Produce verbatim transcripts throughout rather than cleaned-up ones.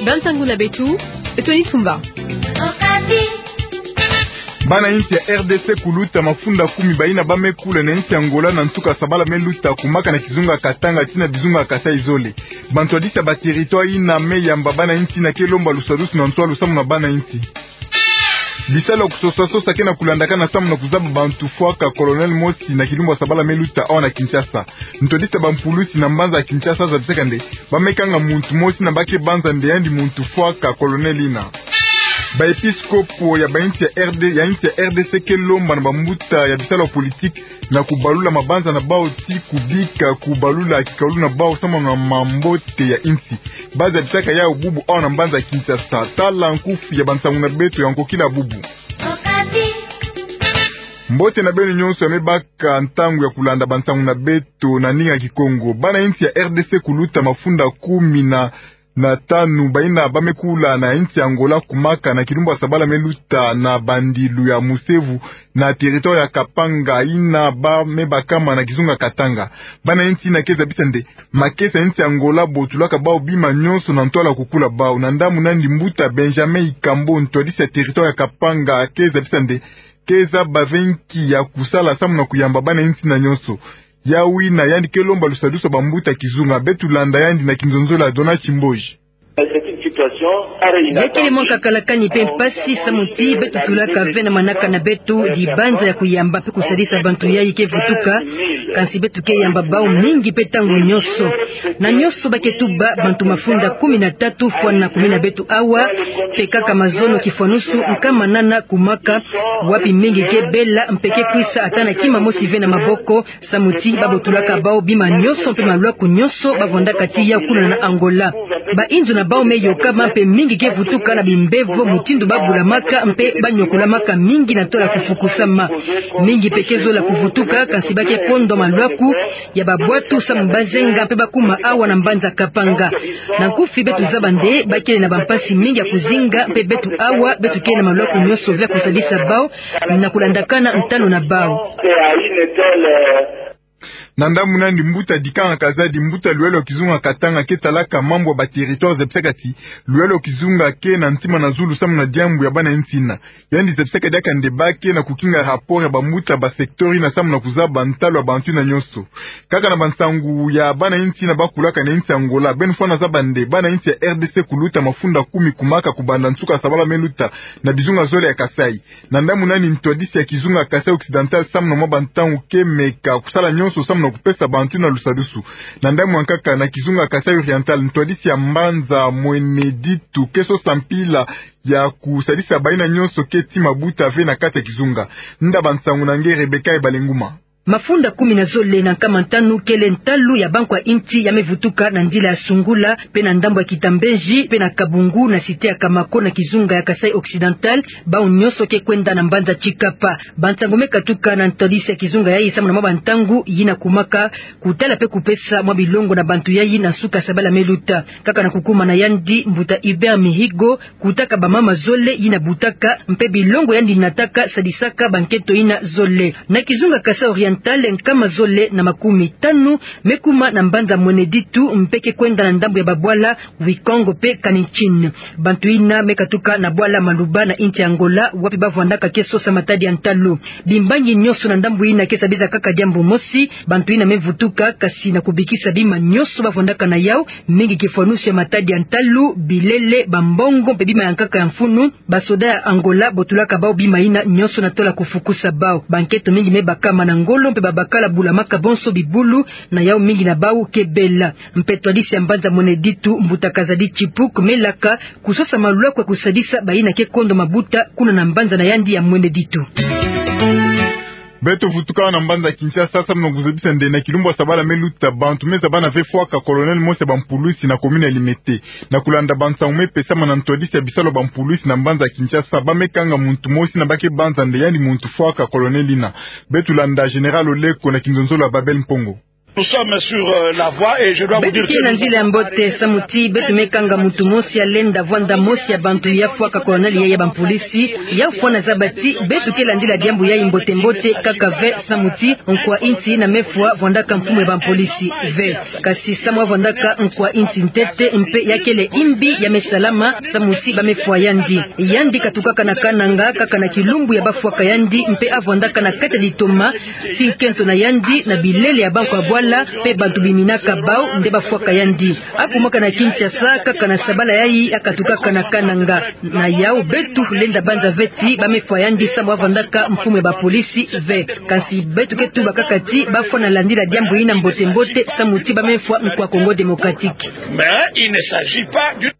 Bansangu na beto, beto ni tumba. Bana insi ya R D C kuluta mafunda kumi bayina ba me kula na insi Angola na nsuka sabala me luta kumaka na kizunga Katanga tii na bizunga Kasaï zole. Bantwadisi ya ba territoire yina me yamba bana insi yina ke lomba lusadusu na ntwalu samu na bana insi. Bisalu ya kusosa-sosa ke na kulandakana samu na kuzaba bantu fwaka colonel mosi na kilumbu ya sabala me luta awa na Kinshasa. Ntwadisi ya bampulusi na mbanza ya Kinshasa zabisaka nde ba me kanga muntu mosi yina ba ke banza nde yandi muntu fwaka colonel yina. Ba episkopo ya ba insi ya R D, ya insi ya R D C ke lomba na bambuta ya bisalu ya politique na kubalula mabanza na bawu tii kubika kubalula kikawulu na bawu samu na mambote ya insi. Ba zabisaka yawu bubu awa na mbanza ya Kinshasa. Tala nkufi ya bansangu na beto ya nkokila bubu. Mbote na beno nyonso ya me baka ntangu ya kulanda bansangu na beto na ndinga ya Kikongo. Bana insi ya R D C kuluta mafunda kumi na na tanu bayina ba me kula na insi Angola kumaka na kilumbu ya sabala me luta na bandilu ya Musevu na territoire ya Kapanga yina ba me bakama na kizunga Katanga. Bana insi yina ke zabisa nde makesa ya insi Angola botulaka bawu bima nyonso na ntwala kukula bawu. Na ndambu na yandi mbuta Benjamin Ikambo, ntwadisi ya territoire ya Kapanga, ke zabisa nde ke zaba ve nki ya kusala samu na kuyamba bana insi yina nyonso. Yawu yina yandi ke lomba lusadusu ya bambuta kizunga. Beto landa yandi na kinzonzolo ya Donat Chimboji. Ya kele mwa nkakalakani mpe mpasi samu ti beto tulaka ve na manaka na beto dibanza ya kuyamba mpe kusadisa bantu yayi ke vutuka, kansi beto ke yamba bawu mingi mpe ntangu nyonso. Na nyonso ba ke tuba bantu mafunda kumi na tatu fwana kumina beto awa, mpe kaka mazono kifwanusu nkama nana kumaka, wapi mingi ke bela mpe ke kwisa ata na kima mosi ve na maboko, samu ti ba botulaka bawu bima nyonso mpe malwaku nyonso ba vwandaka tii yawu kuna na Angola. Ba inzo na bawu me yokama mpe mingi ke vutuka na bimbevo mutindu ba bulamaka mpe ba nyokulamaka mingi na ntwala kufukusama. Mingi mpe ke zola kuvutuka, kansi ba ke kondwa malwaku ya babwatu samu ba zenga mpe ba kuma awa na mbanza Kapanga. Na nkufi beto zaba nde ba kele na bampasi mingi ya kuzinga mpe beto awa beto kele na malwaku nyonso ve ya kusadisa bawu na kulandakana ntalu na bawu. Na ndambu na yandi mbuta Dikanga Kazadi, mbuta luyalo ya kizunga Katanga ke talaka mambu ya ba territoire, zabisaka ti luyalo ya kizunga ke na ntima na zulu samu na diambu ya bana insi yina. Yandi zabisaka diaka nde ba ke na kukinga rapport ya bambuta ba secteur yina samu na kuzaba ntalu ya bantu yina nyonso. Kaka na bansangu ya bana insi yina ba kulaka na insi Angola, beno fwana zaba nde bana insi ya R D C kuluta mafunda kumi kumaka kubanda nsuka sabala me luta na bizunga zole ya Kasaï. Na ndambu na yandi ntwadisi ya kizunga Kasaï Occidental samu na mwa bantangu ke meka kusala nyonso samu na kupesa bantu yina lusadusu. Na ndambu ya nkaka na kizunga Kasaï Oriental, ntwadisi ya mbanza Mwene Ditu ke sosa mpila ya kusadisa bayina nyonso ke tii mabuta ve na kati ya kizunga. Nda bansangu na nge Rebecca Ebalenguma. Mafunda kumi na zole na nkama ntanu kele ntalu ya bankwa insi ya me vutuka na nzila ya Sungula, mpe na ndambu ya Kitambenji, mpe na Kabungu, na cité ya Kamako, na kizunga ya Kasaï Occidental, bawu nyonso ke kwenda na mbanza Tshikapa. Bansangu me katuka na ntwadisi ya kizunga yayi samu na mwa bantangu yina kumaka kutala mpe kupesa mwa bilongo na bantu yayi na nsuka sabala me luta. Kaka na kukuma na yandi, mbuta Hubert Mihigo kutaka bamama zole yina butaka, mpe bilongo yandi nataka sadisaka bankento yina zole. Na kizunga Kasaï Oriental, nkama zole na makumi tanu me kuma na mbanza Mwene Ditu, mpe ke kwenda na ndambu ya babwala Wikongo mpe Kaninchin. Bantu yina me katuka na bwala Maluba na insi Angola, wapi ba vwandaka ke sosa matadi ya ntalu. Bimbangi nyonso na ndambu yina ke sabisa kaka diambu mosi, bantu yina me vutuka, kansi na kubikisa bima nyonso ba vwandaka na yawu, mingi kifwanusu ya matadi ya ntalu, bilele, bambongo, mpe bima ya nkaka ya mfunu. Basoda ya Angola botulaka bawu bima yina nyonso na ntwala kufukusa bawu. Bankento mingi me bakama na ngolo, mpe babakala bulamaka bonso bibulu, na yawu mingi na bawu ke bela. Mpe ntwadisi ya mbanza Mwene Ditu, mbuta Kazadi Chipuk, me laka kusosa malwaku ya kusadisa bayina ke kondwa mabuta kuna na mbanza na yandi ya Mwene Ditu. Beto vutuka awa na mbanza Kinshasa samu na kuzabisa nde na kilumbu ya sabala me luta, bantu me zabana ve fwaka colonel mosi ya bampulusi na commune ya Limete. Na kulanda bansangu me pesama na ntwadisi ya bisalu ya bampulusi na mbanza Kinshasa, ba me kanga muntu mosi yina ba ke banza nde yandi muntu fwaka colonel yina. Beto landa Général Oleko na kinzonzolo ya Babel Mpongo. Nous sommes sur, euh, la voie et je dois vous dire que... Beto ke na nzila ya mbote, samu ti beto me kanga muntu mosi ya lenda vwanda mosi ya bantu ya fwaka kolonele ya, ya bampolisi. Yau fwana zaba ti beto ke landila diambu yayi mbote mbote kaka ve, samu ti nkwa insi ina me fwa vwandaka mfumu ya bampolisi ve. Kasi samu avwandaka nkwa insi ntete mpe ya kele imbi ya me salama, samu ti ba me fwa yandi. Yandi katukaka na Kananga kaka na kilumbu ya ba fwaka yandi mpe avwandaka na kati ya litoma ti nkento na yandi na bilele ya bankwa bwala mpe bantu biminaka bau nde ba fwaka yandi. Akumaka na Kinshasa kaka na sabala yayi, akatukaka na Kananga. Na yau beto lenda banza ve ti ba me fwa yandi samu avwandaka mfumu ya bapolisi ve. Kasi beto ke tuba kaka ti ba fwana landila diambu ina mbote mbote, samu ti ba me fwa nkwa Congo Démocratique. Mais il ne s'agit pas du...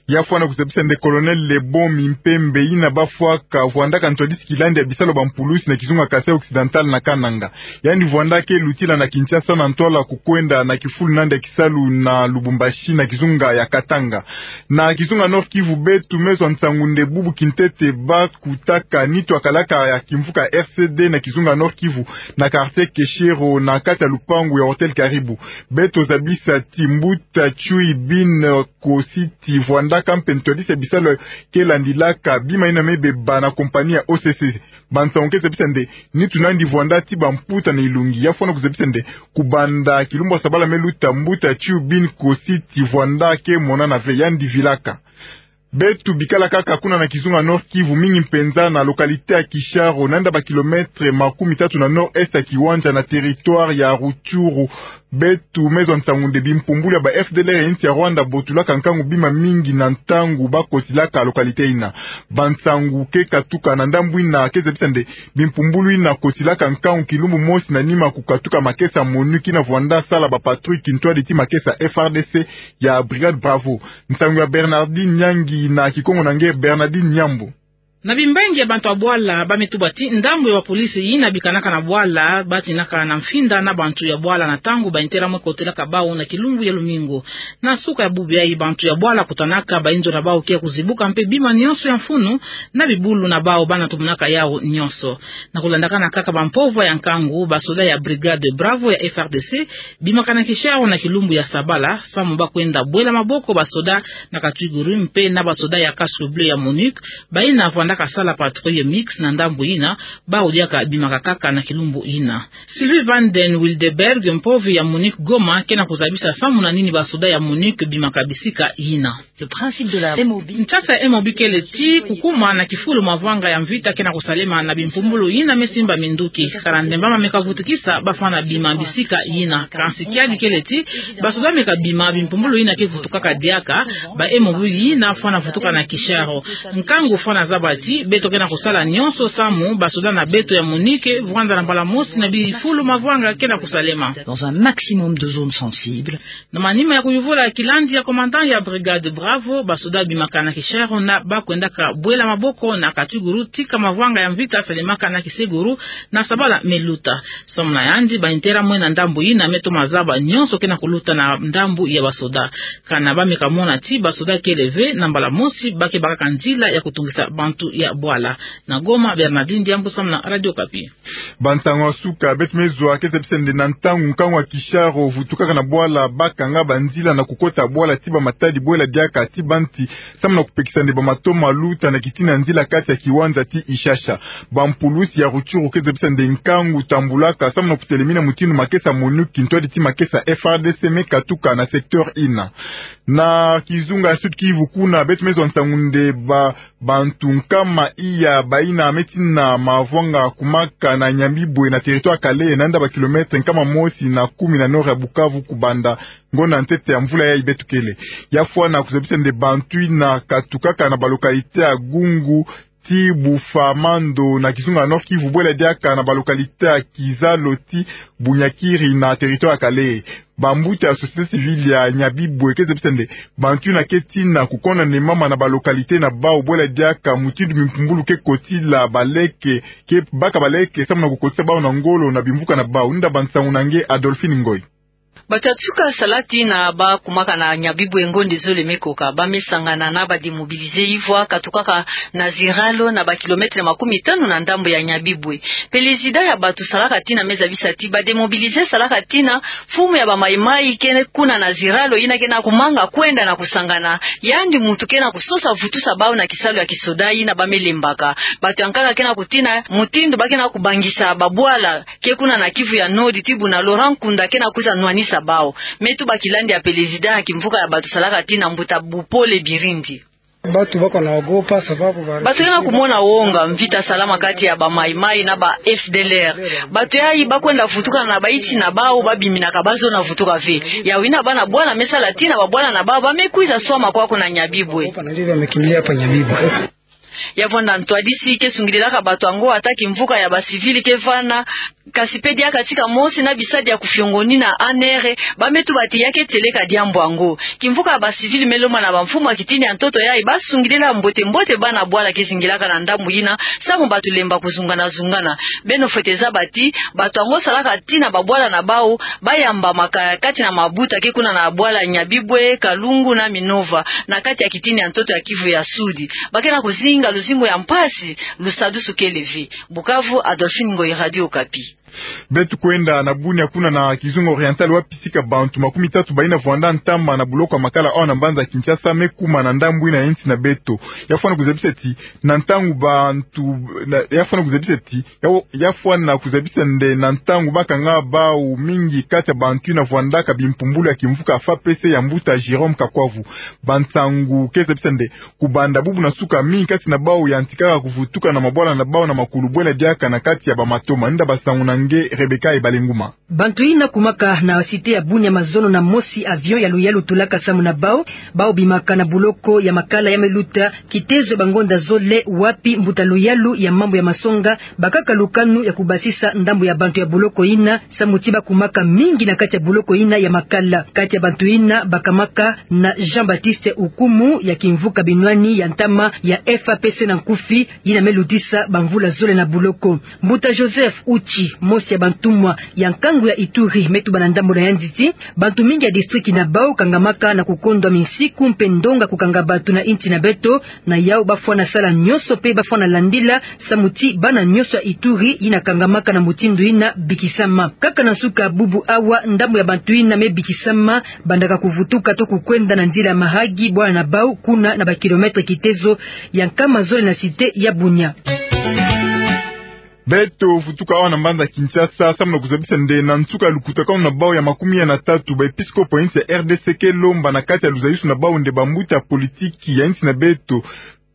Ya fwana kuzabisa nde Colonel Lebon Mimpembe, ina ba fwaka vwandaka ntwadisi kilandi ya bisalu ya bampulusi na kizunga Kasaï Occidental na Kananga. Yandi vwandaka lutila na Kinshasa na ntwala kukwenda na kifulu nandi ya kisalu na Lubumbashi na kizunga ya Katanga. Na kizunga Nord-Kivu, beto me zwa nsangu nde bubu kintete ba kutaka nitu ya kalaka ya kimvuka R C D na kizunga Nord-Kivu, na quartier Keshero, na kati ya lupangu ya Hôtel Karibu. Beto zabisa ti mbuta Chui Bin Kositi vwandaka mpe ntwadisi ya bisalu ke landilaka bima ina me beba na compagnie ya O C C. Bansangu ke zabisa nde nitu nandi vwanda ti bamputa na ilungi. Ya fwana kuzabisa nde kubanda kilumbu ya sabala me luta, mbuta Chui Bin Kositi vwanda ke monana ve, yandi vilaka. Beto bikala kaka kuna na kizunga Nord-Kivu, mingi mpenza na localité ya Kisharo, nanda ba kilomètre makumi tatu na nord-est ya Kiwanja, na territoire ya Rutshuru. Beto me zwa nsangu nde bimpumbulu ya ba F D L R ya insi ya Rwanda botulaka nkangu bima mingi na ntangu ba kotilaka localité ina. Bansangu ke katuka na ndambu ina ke zabisa nde bimpumbulu ina kotilaka nkangu kilumbu mosi na nima kukatuka makesa MONUC ina vwanda sala ba patrouille kintwadi ti makesa F R D C ya Brigade Bravo. Nsangu ya Bernardine Nyangi na kikongo na nge Bernardine Nyambo. Na bimbangi ya bantu ya bwala ba me tuba ti ndambu ya bapolisi ina bikanaka na bwala, ba tinaka na mfinda na bantu ya bwala na ntangu ba intérêt me kotelaka bau na kilumbu ya lumingu. Na suka ya bubu yayi, bantu ya bwala kutanaka ba inzo na bau kia kuzibuka mpe bima nyonso ya mfunu na bibulu na bau bana tumunaka yau nyonso. Na kulandakana kaka bampovwa ya nkangu, basoda ya Brigade Bravo ya F R D C bimakana Kisharo na kilumbu ya sabala, samu ba kwenda bwela maboko basoda na Katwiguru mpe na basoda ya Casque Bleu ya MONUC, ba ina vwandaka sala patrouille mixte na ndambu ina, bau diaka bimaka kaka na kilumbu ina. Sylvie van den Wildenberg, mpovi ya MONUC Goma, ke na kuzabisa samu na nini basoda ya MONUC bimaka bisika ina. Le principe de la M O B. Nsasa ya M O B kele ti kukuma na kifulu mavanga ya mvita ke na kusalema na bimpumbulu ina me simba minduki. Kala ndemba ma me kavutukisa ba fwana bima bisika ina. Kansi kiadi kele ti basoda me kabima bimpumbulu ina ke vutukaka diaka, ba M O B ina fwana vutuka na Kisharo. Nkangu fwana zaba ti beto ke na kusala nyonso samu basoda na beto ya MONUC vwanda na mbala mosi na bifulu mavanga ke na kusalema. Dans un maximum de zones sensibles. Na manima ya kuyuvula kilandi ya commandant ya Brigade Bravo, basoda bimakana Kisharo na ba kwendaka bwela maboko na Katwiguru tika mavanga ya mvita salemaka na Kiseguru na sabala me luta. Samu na yandi, ba intérêt mwe na ndambu ina me toma zaba nyonso ke na kuluta na ndambu ya basoda. Kana ba me kamona ti basoda kele ve, na mbala mosi ba ke bakaka nzila ya kutungisa bantu ya bwala. Na Goma, Bernardine Diambu samu na Radio Okapi. Bansangu ya suka beto me zwa ke zabisa nde na ntangu nkangu ya Kisharo vutukaka na bwala, ba kanga banzila na kukota bwala ti ba matadi bwela diaka ti banti, samu na kupekisa nde ba matomo maluta na kitina nzila kati ya kiwanja ti Ishasha. Bampulusi ya Rutshuru ke zabisa nde nkangu tambulaka samu na kutelemina mutindu makesa MONUC kintwadi ti makesa F R D C me katuka na secteur ina. Na kizunga ya Sud-Kivu kuna, beto me zwa nsangu nde ba bantu nkama iya ba ina me tina mavanga kumaka na Nyabibwe na territoire Kalehe, nanda ba kilomètre nkama mosi na kumi na nord ya Bukavu, kubanda ngonda ntete ya mvula yayi beto kele. Ya fwana kuzabisa nde bantu ina katukaka na ba localité ya Gungu ti Bufamando na kizunga ya Nord-Kivu, bwela diaka na ba localité ya Kizalo ti Bunyakiri na territoire ya Kalehe. Bambuta ya société civile ya Nyabibwe ke zabisa nde bantu ina ke tina kukonda nde mama na ba localité na bau, bwela diaka mutindu bimpumbulu ke kotila baleke, ke baka baleke samu na kukotisa bau na ngolo na bimvuka na bau. Nda bansangu na nge Adolphine Ngoy. Bato ya nsuka sala tina bakumaka na Nyabibwe ngonde zole me koka, ba me sangana na ba démobilisés ivwa katukaka na Ziralo, na ba kilomètre makumi tanu na ndambo ya Nyabibwe. Pelezida ya bato salaka tina me zabisa ti ba démobilisés salaka tina mfumu ya ba Maï-Maï ke kuna na Ziralo, yina ke na kumanga kwenda na kusangana, yandi muntu ke na kusosa vutusa bawu na kisalu ya kisoda yina ba me lembaka. Bato ya nkaka ke na kutina mutindu ba ke na kubangisa babwala ke kuna na Kivu ya Nord, ti buna Laurent Nkunda ke na kwiza nwanisa bawu. Me tuba kilandi ya pelezida ya kimvuka ya bato salaka tina, mbuta Bupole Birindi. Bato bako na ogopa sababu ba... Bato ke na kumona wonga, mvita salama kati ya ba Maï-Maï na ba F D L R. Bato yayi ba kwenda vutuka na ba insi na bawu, ba biminaka ba zona vutuka ve. Yawu yina bana bwala me sala tina babwala na bawu ba me kwiza swama kwaku na Nyabibwe. Ogopa na ndivyo wamekimbilia hapa Nyabibwe. Ya vwanda ntwadisi ke sungidilaka bato yango ata kimvuka ya ba civils ke vana, kasi pe diaka tika mosi na bisadi ya kufiongonina anere, ba me tuba ti ya ke tieleka diambu yango. Kimvuka ya ba civils me lomba na ba mfumu ya kitini ya ntoto yayi ba sungidila mbote mbote bana bwala ke zingilaka na ndambu yina, samu bato lemba kuzungana zungana. Beno fwete zaba ti bato yango salaka tina babwala na bawu ba yambamaka kati na mabuta ke kuna na bwala Nyabibwe, Kalungu na Minova, na kati ya kitini ya ntoto ya Kivu ya Sud. Ba ke na kuzinga luzingu ya mpasi, lusadusu kele ve. Bukavu, Adolphine Ngoyi, Radio Okapi. Beto kwenda na Bunia, kuna na Kizunga Oriental, wapi tika bantu makumi tatu bayina vwanda ntama na buloko ya makala awa na mbanza Kinshasa me kuma na ndambu yina ya insi na beto. Ya fwana kuzabisa ti na ntangu bantu, na, ya fwana kuzabisa ti, ya, ya fwana kuzabisa nde na ntangu ba kanga bawu mingi kati ya bantu yina vwandaka bimpumbulu ya kimvuka F A P C ya mbuta Jérôme Kakwavu. Bansangu ke zabisa nde kubanda bubu na nsuka, mingi kati na bawu yantikaka kuvutuka na mabwala na bawu na makulu bwela diaka na kati ya ba matoma. Nda basangu na nge Rebecca Ebalenguma. Bantu yina kumaka na cité ya Bunia mazono na mosi avion ya luyalu tulaka samu na bawu, bawu bimaka na buloko ya makala ya me luta kitezo ya bangonda zole, wapi mbuta luyalu ya mambu ya masonga bakaka lukanu ya kubasisa ndambu ya bantu ya buloko yina, samu ti ba kumaka mingi na kati ya buloko yina ya makala. Kati ya bantu yina bakamaka na Jean-Baptiste Ukumu ya kimvuka binwani ya ntama ya F A P C na nkufi, yina me lutisa bamvula zole na buloko. Mbuta Joseph Uchi, mosi ya bantumwa ya nkangu ya Ituri, me tuba na ndambu na yandi ti bantu mingi ya district na bawu kangamaka na kukondwa minsiku mpe ndonga kukanga bato na insi na beto, na yawu ba fwana sala nyonso mpe ba fwana landila, samu ti bana nyonso ya Ituri yina kangamaka na mutindu yina bikisama. Kaka na nsuka bubu awa, ndambu ya bantu yina me bikisama bandaka kuvutuka to kukwenda na nzila ya Mahagi, bwala na bawu kuna na ba kilomètre kitezo ya nkama zole na cité ya Bunia. Beto vutuka awa na mbanza Kinshasa, samu na kuzabisa nde na nsuka ya lukutakanu na bawu ya makumi ya na tatu, ba episkopo ya insi ya R D C ke lomba na kati ya luzayisu na bawu nde bambuta ya politiki ya insi na beto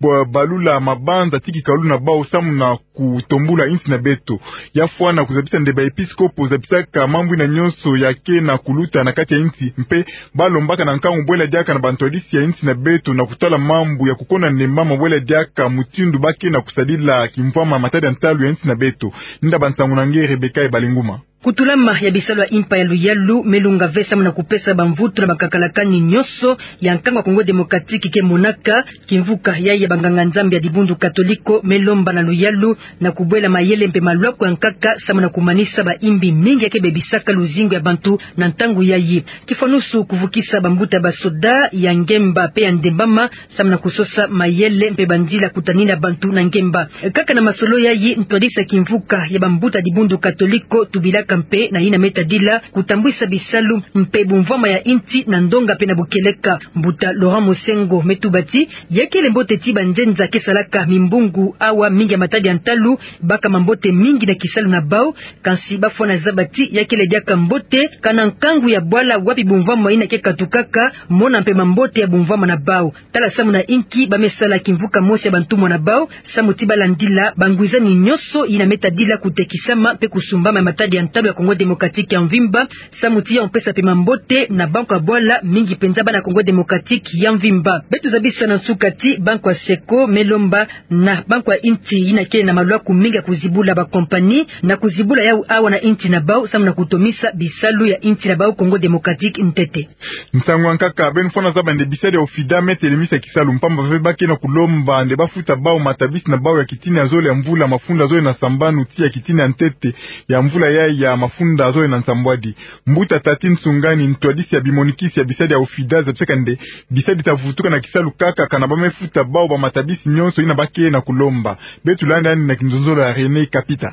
bwa balula mabanza ti kikalulu na bawu samu na kutombula insi na beto. Ya fwana kuzabisa nde ba episkopo zabisaka mambu yina nyonso ya ke na kuluta na kati ya insi, mpe ba lombaka na nkangu bwela diaka na bantwadisi ya insi na beto na kutala mambu ya kukonda nde mama bwela diaka mutindu ba ke na kusadila kimvwama matadi ya ntalu ya insi na beto. Nda bansangu na nge Rebecca Ebalenguma. Kutulama ya bisalu ya impa ya luyalu me lunga ve samu na kupesa bamvutu na bakakalakani nyonso ya nkangu ya Congo Démocratique ke monaka. Kimvuka yayi ya banganga-Nzambi ya dibundu katoliko me lomba na luyalu na kubwela mayele mpe malwaku ya nkaka samu na kumanisa baimbi mingi ya ke bebisaka luzingu ya bantu na ntangu yayi. Kifwanusu kuvukisa bambuta ya basoda ya ngemba mpe ya ndembama samu na kusosa mayele mpe banzila kutanina bantu na ngemba. Kaka na masolo yayi, ntwadisi ya kimvuka ya bambuta ya dibundu katoliko tubilaka mpe na yina me tadila kutambwisa bisalu mpe bumvwama ya insi na ndonga mpe na bukeleka. Mbuta Laurent Mosengo me tuba ti ya kele mbote ti banzenza ke salaka mimbungu awa mingi ya matadi ya ntalu baka mambote mingi na kisalu na bawu, kansi ba fwana zaba ti ya kele diaka mbote kana nkangu ya bwala wapi bumvwama yina ke katukaka, mona mpe mambote ya bumvwama na bawu. Tala samu na inki ba me sala kimvuka mosi ya bantumwa na bawu, samu ti ba landila bangwizani nyonso yina me tadila kutekisama mpe kusumbama ya matadi ya ntalu ya Congo Démocratique ya mvimba, samu ti ya mpesa mpe mambote na banko ya bwala, mingi mpenza bana Congo Démocratique ya mvimba. Beto zabisa na nsuka ti banko ya SECO me lomba na banko ya insi yina ke na malwaku mingi ya kuzibula ba compagnie na kuzibula yawu awa na insi na bawu, samu na kutomisa bisalu ya insi na bawu Congo Démocratique ntete. Nsangu ya nkaka, beno fwana zaba nde bisadi ya OFIDA me telemisa kisalu mpamba ve ba ke na kulomba nde ba futa bawu matabisi na bawu ya kitini ya zole ya mvula mafunda zole na sambanu tii ya kitini ya ntete ya mvula yayi ya mafunda zole na nsambwadi. Mbuta Tati Nsungani, ntwadisi ya bimonikisi ya bisadi ya OFIDA, zabisaka nde bisadi ta vutuka na kisalu kaka kana ba mefuta bawu ba matabisi nyonso yina ba ke na kulomba. Beto landa yandi na kinzonzolo ya René Kapita.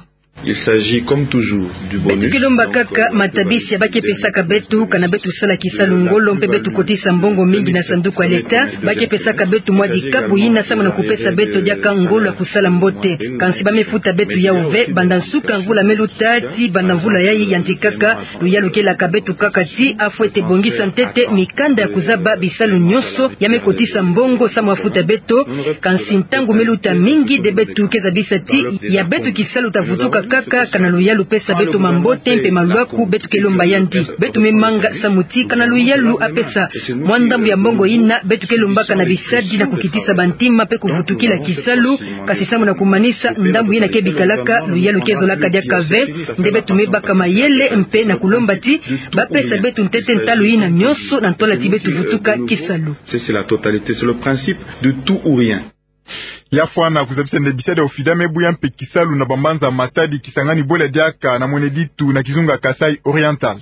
Il s'agit comme toujours du bonus. Beto ke lomba kaka matabisi ya ba ke pesaka beto kana beto sala kisalu ngolo mpe beto kotisa mbongo mingi na sanduku ya leta. Ba ke pesaka beto mwa dikapu yina samu na kupesa beto diaka ngolo ya kusala mbote. Kansi ba mefuta beto yawu ve banda nsuka mvula meluta tii banda mvula yayi yantikaka. Luyalu kelaka beto kaka ti afwete bongisa ntete mikanda ya kuzaba bisalu nyonso ya me kotisa mbongo samu afuta beto. Kansi ntangu meluta mingi nde beto ke zabisa ti ya beto kisalu ta vutuka kaka kana luyalu pesa beto mambote mpe malwaku. Beto ke lomba yandi, beto me manga samu ti kana luyalu apesa mwa ndambu ya mbongo yina beto ke lombaka na bisadi na kukitisa bantima mpe kuvutukila kisalu. Kansi samu na kumanisa ndambu yina ke bikalaka, luyalu ke zolaka diaka ve. Nde beto me baka mayele mpe na kulomba ti ba pesa beto ntete ntalu yina nyonso na ntwala ti beto vutuka kisalu. C'est, c'est la totalité, c'est le principe de tout ou rien. Ya fwana kuzabisa nde bisadi ya OFIDA me buya mpe kisalu na bambanza Matadi, Kisangani, Bwele, Diaka na Mweneditu na kizunga Kasaï Oriental.